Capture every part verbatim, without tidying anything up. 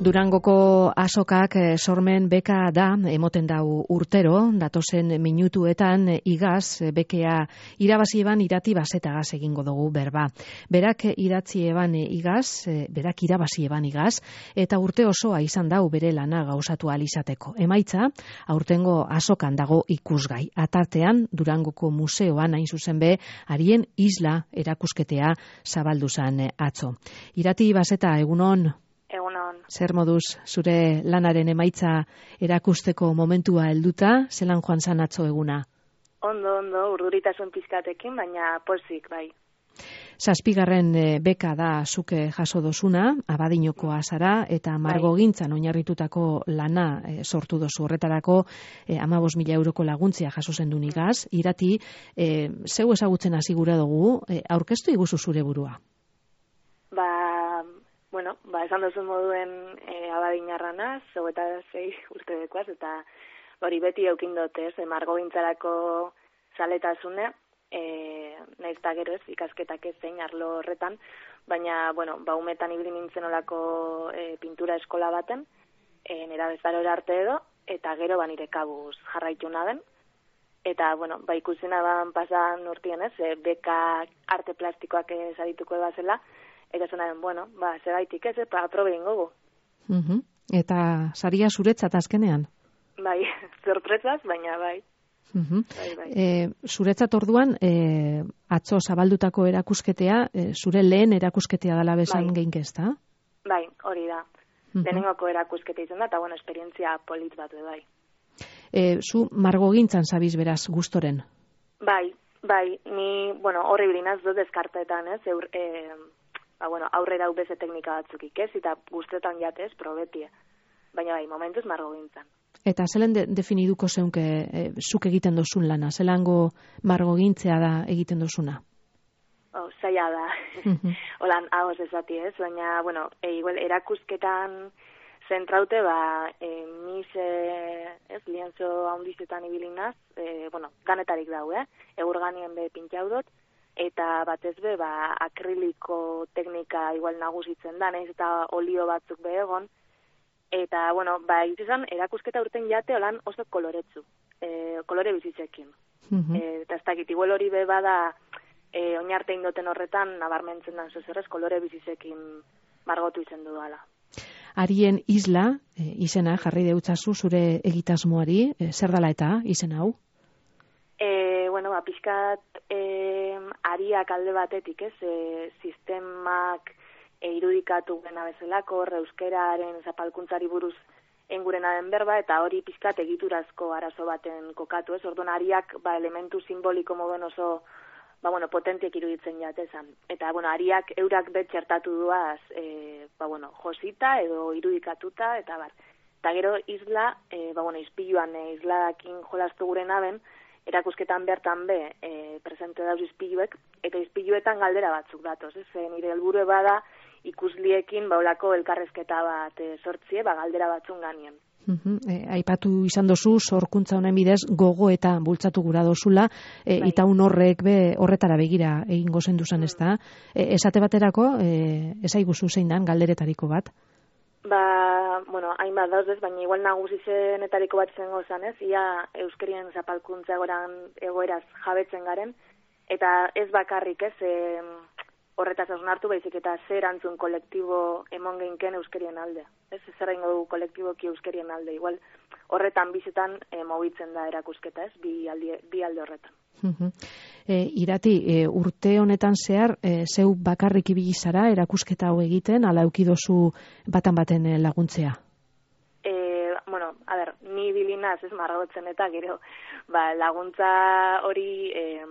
Durangoko azokak sormen beka da, emoten dau urtero, datozen minutuetan igaz, bekea irabazi eban irati basetagaz egingo dugu berba. Berak idatzi eban igaz, berak irabazi eban igaz, eta urte osoa izan dau bere lana gauzatu alizateko. Emaitza, aurtengo azokan dago ikusgai. Atartean, Durangoko museoan hain zuzen be, harien isla erakusketea zabaldu zan atzo. Irati baseta, egunon? Egunon. Zer moduz zure lanaren emaitza erakusteko momentua helduta, zelan joan zan atzo eguna? Ondo, ondo, urduritasun pizkatekin, baina pozik, bai. Zazpigarren beka da zuke jaso dozuna, Abadiñokoa zara, eta margogintzan oinarritutako lana e, sortu dozu horretarako e, amabos mila euroko laguntzia jaso zendun igaz. Irati, e, zeu ezagutzen hasi gura dugu, e, aurkeztu iguzu zure burua? Ba... Bueno, ba, esan duzun moduen e, abadinarranaz, zeu eta zei urte dekoaz, eta hori beti eukin dotez, e, margogintzarako zaletasune, e, nahiz eta gero ez, ikasketak ez zein arlo horretan, baina, bueno, ba, umetan ibili nintzen olako e, pintura eskola baten, e, nera bezarora arte edo, eta gero ba nire kabuz jarraitu naden, eta, bueno, ba, ikusina ban pasan urtien ez, e, beka arte plastikoak ez adituko ebazela, eta zonaren, bueno, ba, zebaitik ez, eta aprobe ingogu. Uh-huh. Eta saria zuretzat azkenean? Bai, sorpresaz, baina bai. Uh-huh. bai, bai. E, zuretzat orduan, e, atzo zabaldutako erakusketea, e, zure lehen erakusketea dela bezan bai. geinkezta? Bai, hori da. Uh-huh. Lehenengoko erakusketa izan da, eta bueno, esperientzia polit bat bai. E, zu margogintzan zabiz beraz gustoren? Bai, bai, ni, bueno, horri bilinaz dut deskartetan, ez, eur, e, ba, bueno, aurrera ubeze teknika batzuk ikez, eta guztetan jatez, probetie. Baina bai, momentuz margogintzan. Eta zelen de, definiduko zeunke e, zuk egiten dozun lana? Zelango margogintzea da egiten dozuna? Oh, zaila da. Uh-huh. Holan, hagoz ezati ez, baina, bueno, e, igual, erakusketan zentraute, ba, e, mis, e, ez, lienzo haundizetan ibilinaz, e, bueno, ganetarik dau, eh? Egur ganien be pintxaudot, eta batez be, ba, akriliko teknika igual nagusitzen da, nahiz eta olio batzuk be egon, eta, bueno, ba, izan, erakusketa urten jate holan oso koloretzu, e, kolore bizitzekin. Uh-huh. E, eta ez dakit, igual hori be bada, e, oinarte indoten horretan, nabarmentzen dan zozerrez, kolore bizitzekin margotu izen dudala. Harien isla, e, izena, jarri deutzazu zure egitasmoari, e, zer dala eta izen hau? E, bueno, ba, pixkat e, ariak alde batetik, ez, e, sistemak e, irudikatu gena bezalako, euskeraren zapalkuntzari buruz engurena den berba, eta hori pixkat egiturazko arazo baten kokatu, ez, orduan ariak, ba, elementu simboliko moden oso, ba, bueno, potentiek iruditzen jatezan. Eta, bueno, ariak eurak bet txertatu duaz, e, ba, bueno, josita edo irudikatuta, eta bar. Eta gero isla, e, ba, bueno, izpiluan e, islakin jolastu gure naben, erakusketan bertan be, e, presente dauz izpiluek, eta izpiluetan galdera batzuk datoz, ez? E, nire helburu bada ikusliekin baulako elkarrezketa bat e, sortzie, ba, galdera batzun ganien. Uh-huh. E, aipatu izan dozu, sorkuntza honen bidez, gogo eta bultzatu gura dozula, e, bai. Itaun horrek be, horretara begira egingo zenduzan, ez da? E, esate baterako, e, ezaiguzu zein dan, galderetariko bat? Ba, bueno, hainbat dauz, baina igual nagusi zenetariko bat zengo zan, ez? Ia euskerien zapalkuntza egoran egoeraz jabetzen garen, eta ez bakarrik, ez, e, horretaz hausnartu baizik eta zer antzun kolektibo emon geinken euskerien alde. Ez, zer ingo du kolektiboki euskerien alde. Igual horretan bizetan e, mobitzen da erakusketa, ez, bi alde, bi alde horretan. Uh-huh. E, irati, e, urte honetan zehar, e, zeu bakarrik ibili zara erakusketa hau egiten, ala eukidozu batan baten laguntzea? E, bueno, a ber, ni bilinaz ez margotzen eta gero, ba, laguntza hori, e,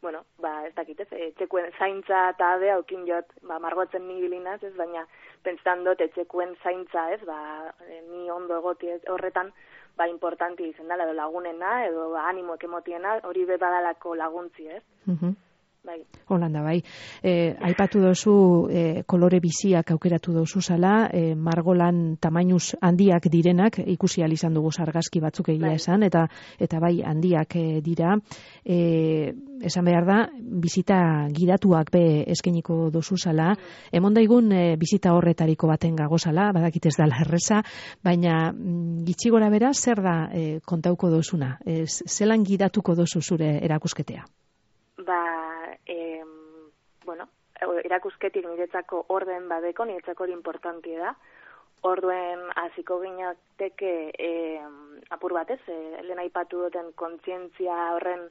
bueno, ba, ez dakit ez, etxekuen zaintza eta abea aukin jot, ba, margotzen ni bilinaz ez, baina pentsan dut etxekuen zaintza ez, ba, e, ni ondo egoti horretan, ba, importanti izan dela, edo lagunena, edo ba, animo ekomotiena, hori be badalako laguntzi, ez? Uh-huh. bai. Holanda, bai. E, aipatu dozu e, kolore biziak aukeratu dozu zala, e, margolan tamainuz handiak direnak, ikusi ahal izan dugu sargazki batzuk egia bai. esan, eta eta bai handiak e, dira. E, esan behar da, bizita gidatuak be eskeniko dozu zala. Mm. Emon daigun e, bizita horretariko baten gagozala, badakit ez dala erreza, baina mm, gitxi gora bera, zer da e, kontauko dozuna? E, zelan gidatuko dozu zure erakusketea? Ba, eh, bueno, erakusketik niretzako orden badeko, niretzako hori importantia da. Orduen hasiko ginateke eh, apur batez, eh, lehen aipatu duten kontzientzia horren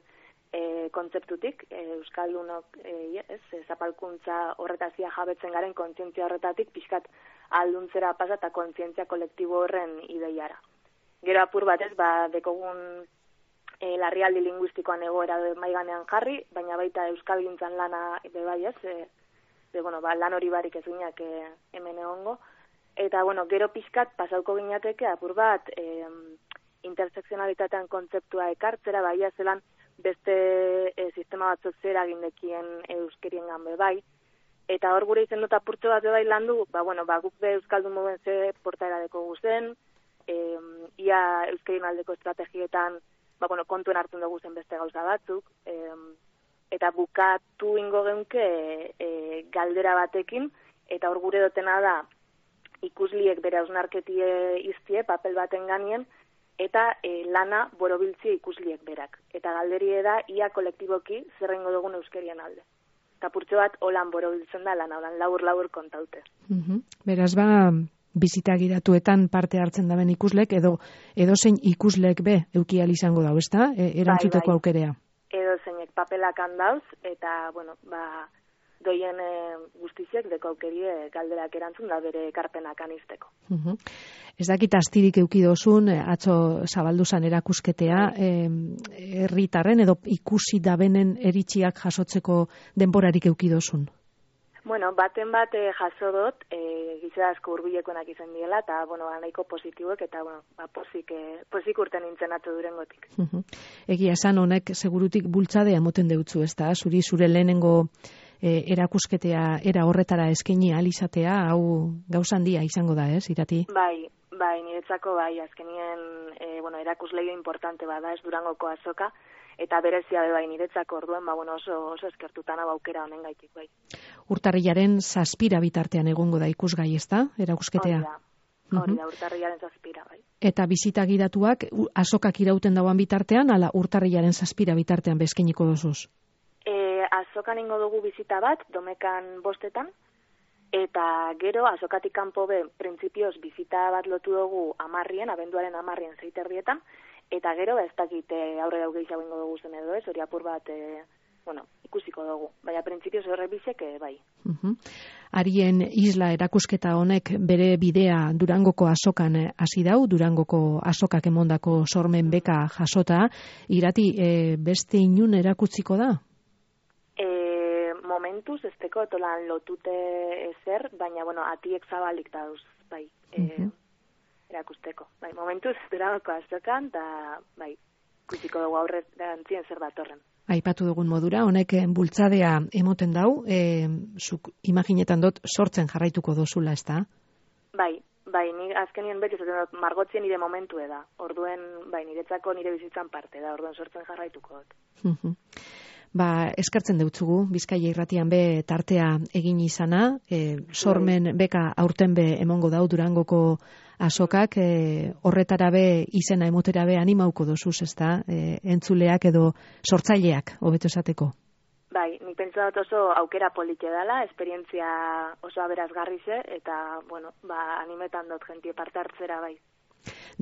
eh, kontzeptutik, eh, Euskaldunok eh, ez, zapalkuntza horretazia jabetzen garen kontzientzia horretatik pixkat alduntzera pasa eta kontzientzia kolektibo horren ideiara. Gero apur batez, ba, dekogun E, larrialdi linguistikoan egoera maiganean jarri, baina baita euskalgintzan lana be bai ez, e, de, bueno, ba, lan hori barik ez ginak e, hemen egongo. Eta, bueno, gero pixkat pasauko ginateke apur bat e, intersekzionalitatean kontzeptua ekartzera, bai zelan beste e, sistema batzuk zera gindekien euskerien ganbe bai. Eta hor gure izen dut apurtxo bat be bai landu, ba, bueno, ba, guk be euskaldun moben ze portaera deko guzen, e, ia euskerien aldeko estrategietan ba, bueno, kontuen hartzen dugu zen beste gauza batzuk, e, eta bukatu ingo geunke e, e, galdera batekin, eta hor gure dotena da ikusliek bere hausnarketie iztie, papel baten ganien, eta e, lana borobiltzie ikusliek berak. Eta galderie da, ia kolektiboki zerrengo dugun euskerian alde. Eta purtsu bat, holan borobiltzen da lana, holan labur-labur kontaute. Mm-hmm. Beraz ba, bizita gidatuetan parte hartzen daben ikuslek, edo edo zein ikuslek be eukial izango dau, ezta? E, erantzuteko bai, bai. Aukerea. Edo zeinek papelak handauz, eta, bueno, ba, doien e, guztiziek deko aukerie galderak erantzun da bere ekarpenak anisteko. Uh-huh. Ez dakit astirik eukidozun, atzo zabalduzan erakusketea, herritarren edo ikusi dabenen eritxiak jasotzeko denborarik eukidozun? Bueno, baten bat eh, jaso dut, eh, gizera asko hurbilekoenak izan diela, eta, bueno, nahiko positiboek, eta, bueno, ba, posik, eh, posik urten nintzen atzo durengotik. Uh-huh. Egia esan honek segurutik bultzadea moten deutzu, ez da? Zuri zure lehenengo eh, erakusketea era horretara eskaini ahal izatea, hau gauza handia izango da, ez, Irati? Bai, bai, niretzako bai, azkenien, eh, bueno, erakusleio importante bada, ez Durangoko azoka, eta berezia bai niretzako orduen, ba, bueno, oso, oso eskertutan hau aukera honen gaitik, bai. Urtarrilaren zazpira bitartean egongo da ikusgai, ez da, erakusketea? Hori da, hori da, urtarrilaren zazpira, bai. Eta bizita gidatuak azokak irauten dauan bitartean, ala urtarrilaren zazpira bitartean bezkeniko dozuz? E, azokan ingo dugu bizita bat, domekan bostetan, eta gero azokatik kanpo be, printzipioz bizita bat lotu dugu amarrien, abenduaren amarrien zeiterdietan, eta gero ez dakite aurre dau gehiago ingo dugu zen edo ez, hori apur bat, e, bueno, ikusiko dugu. Baina printzipioz horre bizek, e, bai. Uh-huh. Arien isla erakusketa honek bere bidea Durangoko azokan hasi dau, Durangoko azokak emondako sormen beka jasota, Irati, e, beste inun erakutziko da? E, momentuz, ez teko, tolan lotute ezer, baina, bueno, atiek zabalik dauz, bai. E, uh-huh. Erakusteko. Bai, momentuz, Durangoko azokan, eta, bai, ikusiko dugu aurre dantzien zer datorren. Aipatu dugun modura, honek bultzadea emoten dau, e, zuk imaginetan dut sortzen jarraituko dozula, ez da? Bai, bai, ni azkenien beti zaten dut, margotzien nire momentu da. Orduen, bai, niretzako nire bizitzan parte da, orduen sortzen jarraituko dut. Uh-huh. Ba, eskertzen deutzugu, Bizkaia irratian be tartea egin izana, e, sormen beka aurten be emongo dau Durangoko azokak, e, horretara be izena emotera be animauko dozuz, ez da, e, entzuleak edo sortzaileak, hobeto esateko. Bai, nik pentsa dut oso aukera polite dela, esperientzia oso aberazgarrize, eta, bueno, ba, animetan dut jentie parte hartzera bai.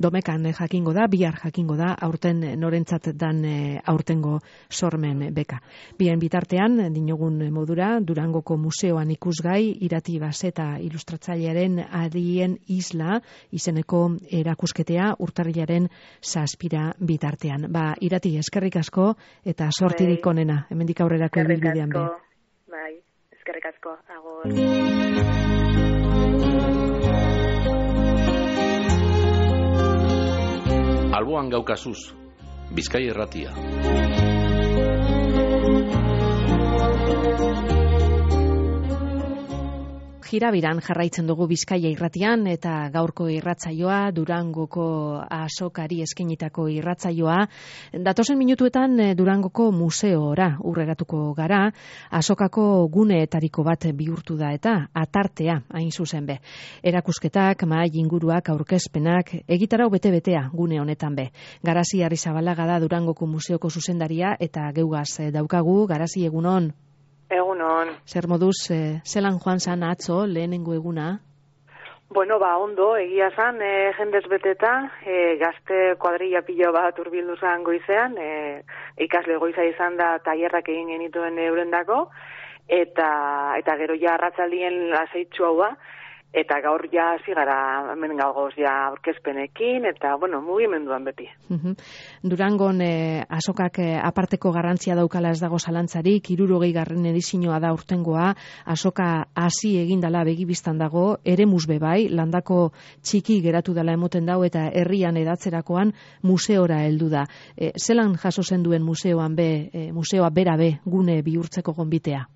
Domekan jakingo da, bihar jakingo da, aurten norentzat dan aurtengo sormen beka. Bien bitartean, dinogun modura, Durangoko museoan ikusgai, Irati Baseta ilustratzailearen Arien isla izeneko erakusketea urtarrilaren zazpira bitartean. Ba, Irati, eskerrik asko eta sortirik onena, hemendik aurrerako ibilbidean be. Bai, eskerrik asko, agur. Alboan gaukazuz, Bizkaia irratia. Jirabiran jarraitzen dugu Bizkaia irratian eta gaurko irratsaioa Durangoko azokari eskainitako irratsaioa. Datozen minutuetan Durangoko museora urreratuko gara, azokako guneetariko bat bihurtu da eta atartea hain zuzen be. Erakusketak, mahai inguruak, aurkezpenak, egitarau bete-betea gune honetan be. Garazi Arrizabalaga da Durangoko museoko zuzendaria eta geugaz daukagu. Garazi, egunon. Egunon. Zer moduz, eh, zelan joan zan atzo, lehenengo eguna? Bueno, ba, ondo, egia zan, e, jendez beteta, e, gazte kuadrilla pilo bat urbildu zan goizean, e, ikasle goiza izan da tailerrak egin genituen eurendako, eta eta gero ja arratzaldien laseitxu hau da, eta gaur ja hasi gara hemen gagoz ja aurkezpenekin, eta, bueno, mugimenduan beti. Uh-huh. Durangon eh, azokak eh, aparteko garrantzia daukala ez dago zalantzarik, hirurogei garren edizioa da urtengoa, azoka hasi egindala begibistan dago, eremuz be bai, landako txiki geratu dela emoten dau, eta herrian edatzerakoan museora heldu da. E, zelan jaso zen duen museoan be, e, museoa bera be, gune bihurtzeko gonbitea?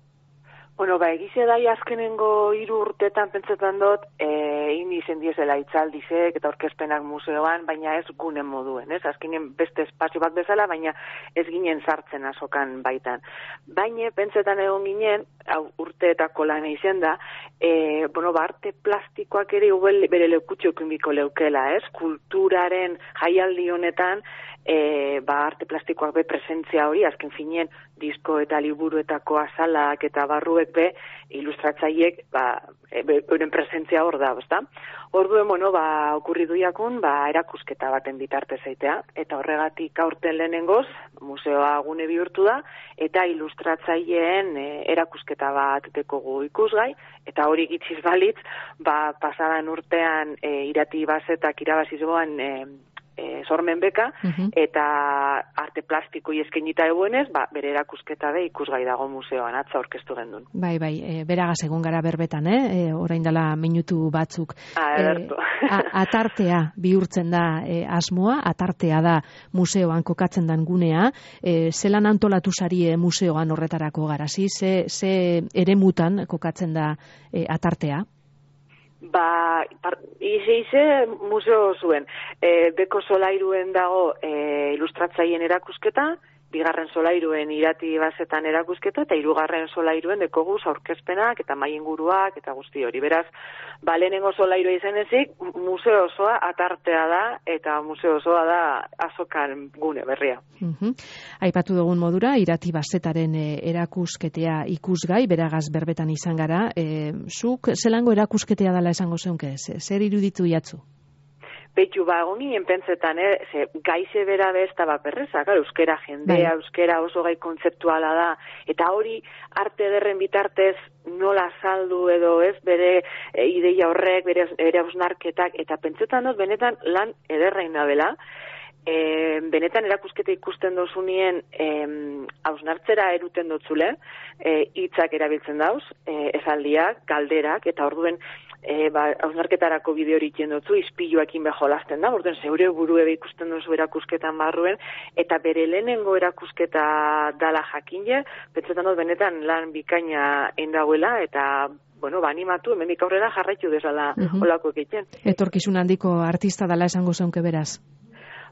Bueno, ba, egize dai azkenengo hiru urtetan pentsetan dut, e, indi izen diezela itzaldizek eta aurkezpenak museoan, baina ez gunen moduen, ez? Azkenen beste espazio bat bezala, baina ez ginen sartzen azokan baitan. Baina pentsetan egon ginen, hau urteetako lan izen da, e, bueno, ba, arte plastikoak ere ubel, bere leukutxokin biko leukela, ez? Kulturaren jaialdi honetan, E, ba, arte plastikoak be presentzia hori, azken finien disko eta liburuetako azalak eta barruek be, ilustratzaiek, ba, euren presentzia hor da, ezta? Orduen, bueno, ba, okurri duiakun, ba, erakusketa baten bitarte zeitea, eta horregatik aurten lehenengoz, museoa gune bihurtu da, eta ilustratzaileen e, erakusketa bat dekogu ikusgai, eta hori gitziz balitz, ba, pasadan urtean e, irati bazetak irabazizoan e, E, sormen beka, uh-huh. eta arte plastikoi eskainita eguenez, ba, bere erakusketa be ikusgai dago museoan, atza aurkeztu gendun. Bai, bai, e, beragaz egon gara berbetan, eh? E, orain dela minutu batzuk. Ah, e, a, atartea bihurtzen da e, asmoa, atartea da museoan kokatzen dan gunea, e, zelan antolatu zarie museoan horretarako Garazi, ze, ze eremutan kokatzen da e, atartea? Ba, ize-ize museo zuen. E, beko solairuen dago e, ilustratzaien erakusketa, bigarren solairuen irati bazetan erakusketa, eta hirugarren solairuen dekoguz aurkezpenak eta mahai inguruak eta guzti hori. Beraz, ba, lehenengo solairua izan ezik, museo osoa atartea da, eta museo osoa da azokan gune berria. Uh-huh. Aipatu dugun modura, irati bazetaren e, erakusketea ikusgai, beragaz berbetan izan gara. E, zuk, zelango erakusketea dela esango zeunke, zer iruditu jatzu? Beitu, ba, egon ginen pentsetan, eh? Ze, gaize bera bezta bat perreza, gara, euskera jendea, bai. Euskera oso gai kontzeptuala da, eta hori arte ederren bitartez nola saldu edo ez, bere e, ideia horrek, bere, bere hausnarketak, eta pentsetan dut, benetan lan ederrain da bela, e, benetan erakusketa ikusten dozunien hausnartzera e, eruten dotzule, hitzak e, erabiltzen dauz, e, esaldiak, galderak, eta orduen, E, ba, hausnarketarako bideo hori jendotzu, izpiluakin beholasten da, orduen zeure buru ebe ikusten duzu erakusketan barruen, eta bere lehenengo erakusketa dala jakinje, pentsetan dut benetan lan bikaina endauela, eta bueno, ba, animatu, hemendik aurrera jarraitu desala uh-huh. olako egiten. Etorkizun handiko artista dala esango zeunke beraz?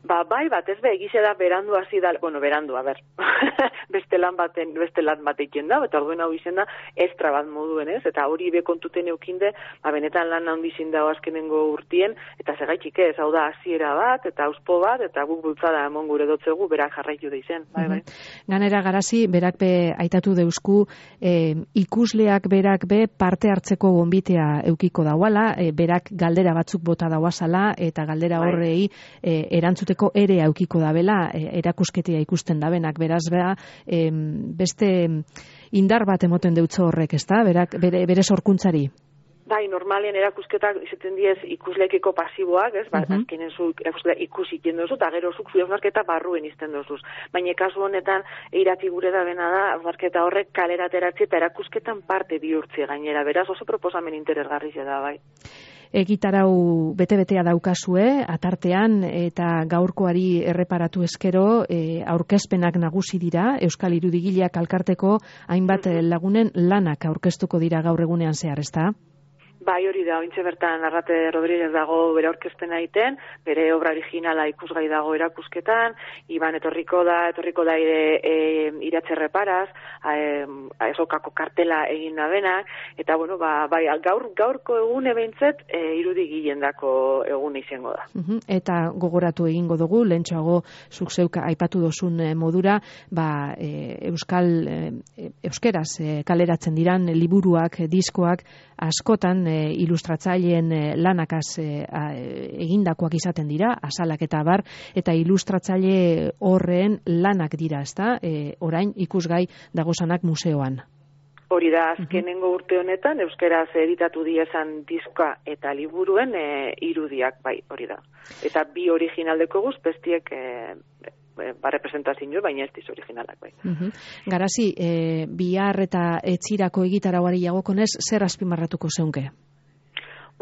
Ba, bai, bat ez be, egize da berandu hasi da, bueno, berandu, a ber, beste lan baten, beste lan batekin da, eta orduen hau izen da, estra bat moduen ez, eta hori be kontuten eukinde, ba, benetan lan handizin dago azkenengo urtien, eta segaitxik ez, hau da, hasiera bat, eta auspo bat, eta guk bultzada emon gure dotzegu, berak jarraitu da izen, bai, bai. Ganera Garazi, berak be, aitatu deusku, eh, ikusleak berak be, parte hartzeko gonbitea eukiko dauala, eh, berak galdera batzuk bota dauazala, eta galdera horrei eh, erantzute ere aukiko dabela, erakusketea ikusten dabenak, beraz bera, e, beste indar bat emoten deutzo horrek, ezta? Berak, bere, bere sorkuntzari. Bai, normalien erakusketak izaten diez ikuslekiko pasiboak, ez? Ba, uh-huh. azkenen zu ikusi iten dozu, eta gero zuk hausnarketa barruen izten dozuz. Baina kasu honetan, irati gure da bena da, hausnarketa horrek kalera ateratzi eta erakusketan parte bihurtzi gainera. Beraz, oso proposamen interesgarri da, bai. Egitarau bete-betea daukazue, atartean, eta gaurkoari erreparatu eskero, e, aurkezpenak nagusi dira, Euskal Irudigileak alkarteko hainbat lagunen lanak aurkeztuko dira gaur egunean zehar, ezta? Bai, hori da, ointxe bertan Arrate Rodríguez dago bere aurkezpena egiten, bere obra originala ikusgai dago erakusketan, Iban etorriko da, etorriko da ere e, Iratxe Reparaz, e, azokako kartela egin da benak, eta bueno, ba, bai, gaur, gaurko egune behintzet e, irudi gilendako egun izango da. Uh-huh. Eta gogoratu egingo dugu, lehentxoago zuk zeuka aipatu dozun modura, ba, e, Euskal, e, euskeraz e, kaleratzen diran liburuak, diskoak, askotan e, ilustratzaileen e, lanakaz e, a, egindakoak izaten dira, azalak eta bar, eta ilustratzaile horren lanak dira, ezta? E, orain ikusgai dagozanak museoan. Hori da, azkenengo urte honetan, euskeraz editatu diezan diska eta liburuen e, irudiak, bai, hori da. Eta bi originaldeko guz, bestiek e, ba, representazio, baina ez diz originalak, bai. Uh-huh. Garazi, e, bihar eta etxirako egitarauari jagokonez, zer azpimarratuko zeunke?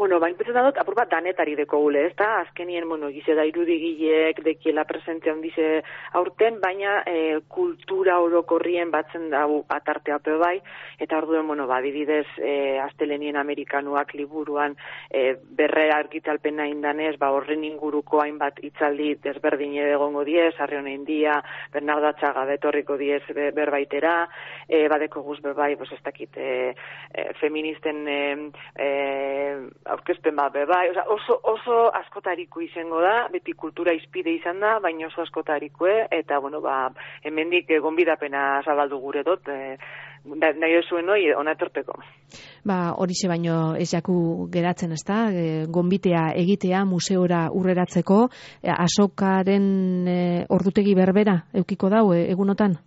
Bueno, bain pentsetan dut, apur bat danetari deko gule, ez da? Azkenien, bueno, gize da irudigileek, dekiela presentzia handize aurten, baina e, kultura orokorrien batzen dago atartea pe bai, eta orduen, bueno, ba, dibidez, e, Astelenien Amerikanuak liburuan e, berrera argitalpena indanez, ba, horren inguruko hainbat hitzaldi desberdin egongo diez, Arreon India, Bernardo Atxaga betorriko diez be, berbaitera, e, badeko guz bebai, pues, ez dakit, e, e, feministen e, e, aurkezpen bat bebai, oso, oso askotariko izango da, beti kultura izpide izan da, baina oso askotarikoe, eta, bueno, ba, hemendik gonbidapena zabaldu gure dut, e, nahi zuen hori, ona etorteko. Ba, horixe baino ez jaku geratzen, ez da, e, gonbitea egitea museora urreratzeko, e, azokaren e, ordutegi berbera, eukiko dau, e, egunotan?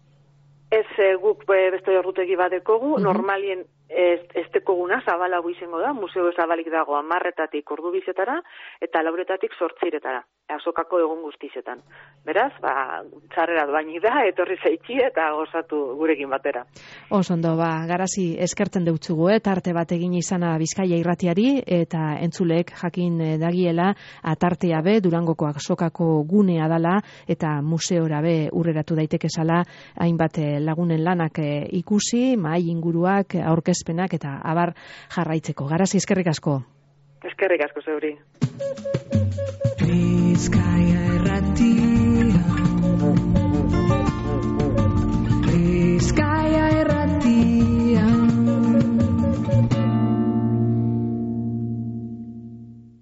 Ez, e, guk e, beste ordutegi bat dekogu, uh-huh. Normalien ez, ez dekoguna zabalago izango da, museo zabalik dago amarretatik ordu bizetara, eta lauretatik sortziretara, azokako egun guztizetan. Beraz, ba, txarrera doaini da, etorri zaitxi eta gozatu gurekin batera. Osondo, ba, Garazi eskertzen deutzugu, eh? Tarte bat egin izana Bizkaia irratiari, eta entzuleek jakin dagiela, atartea be, Durangoko azokako gunea dala, eta museora be urreratu daitekezala, hainbat lagunen lanak ikusi, mahai inguruak, aurkezpenak eta abar jarraitzeko. Garazi eskerrik asko. Eskerrik asko zeuri. Bizkaia